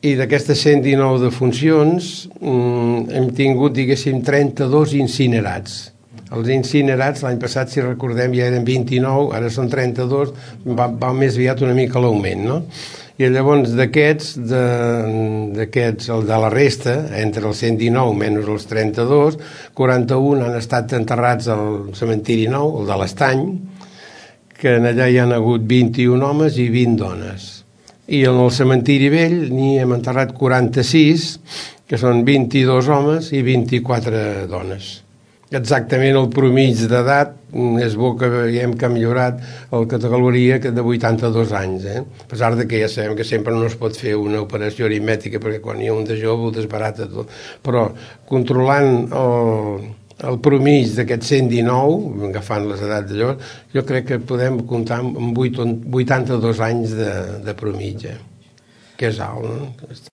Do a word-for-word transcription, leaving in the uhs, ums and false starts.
I d'aquestes cent dinou defuncions hem tingut, diguéssim, trenta-dos incinerats. Els incinerats l'any passat, si recordem, ja eren vint-i-nou, ara són trenta-dos, va, va més aviat una mica l'augment, no? I llavors d'aquests, de, d'aquests, el de la resta, entre els cent dinou menys els trenta-dos, quaranta-un han estat enterrats al cementiri nou, el de l'Estany, que allà hi han hagut vint-i-un homes i vint dones. I en el cementiri vell n'hi hem enterrat quaranta-sis, que són vint-i-dos homes i vint-i-quatre dones. Exactament el promig d'edat és bo que veiem que ha millorat la categoria de vuitanta-dos anys, eh? A pesar de que ja sabem que sempre no es pot fer una operació aritmètica perquè quan hi ha un de jove ho desbarata tot, però controlant el, el promig d'aquests cent dinou, agafant les edats d'allò, jo crec que podem comptar amb vuitanta-dos anys de, de promig, eh? Que és alt, no?